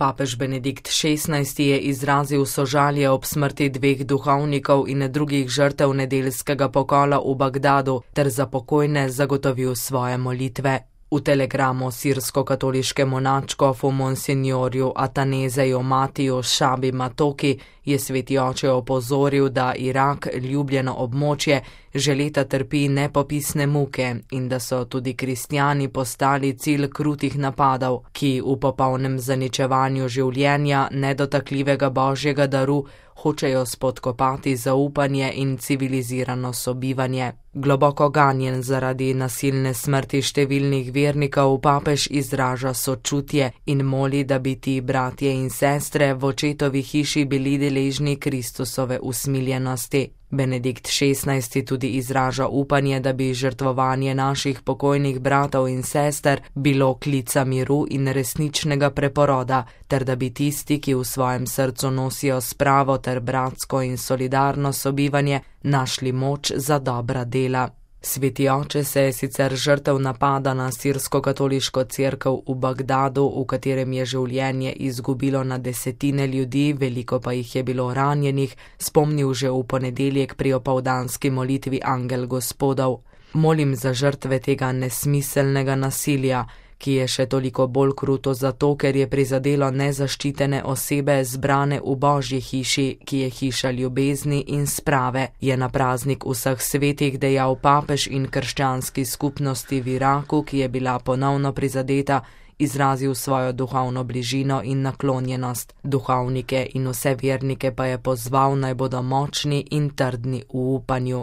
Papež Benedikt XVI je izrazil sožalje ob smrti 2 duhovnikov in drugih žrtev nedeljskega pokola v Bagdadu ter za pokojne zagotovil svoje molitve. V telegramu sirsko-katoliškemu nadškofu monsignorju Atanezeju Matiju Šabi Matoki je sveti oče opozoril, da Irak, ljubljeno območje, že leta trpi nepopisne muke in da so tudi kristjani postali cilj krutih napadov, ki v popolnem zaničevanju življenja nedotakljivega božjega daru hočejo spodkopati zaupanje in civilizirano sobivanje. Globoko ganjen zaradi nasilne smrti številnih vernikov papež izraža sočutje in moli, da bi ti bratje in sestre v očetovi hiši bili deležni Kristusove usmiljenosti. Benedikt XVI tudi izraža upanje, da bi žrtvovanje naših pokojnih bratov in sester bilo klica miru in resničnega preporoda, ter da bi tisti, ki v svojem srcu nosijo spravo ter bratsko in solidarno sobivanje, našli moč za dobra dela. Sveti oče se je sicer žrtev napada na sirsko-katoliško cerkev v Bagdadu, v katerem je življenje izgubilo na desetine ljudi, veliko pa jih je bilo ranjenih, spomnil že v ponedeljek pri opoldanski molitvi Angel Gospodov. Molim za žrtve tega nesmiselnega nasilja, ki je še toliko bolj kruto zato, ker je prizadelo nezaščitene osebe zbrane v Božji hiši, ki je hiša ljubezni in sprave, je na praznik vseh svetih dejal papež in krščanski skupnosti v Iraku, ki je bila ponovno prizadeta, izrazil svojo duhovno bližino in naklonjenost. Duhovnike in vse vernike pa je pozval, naj bodo močni in trdni v upanju.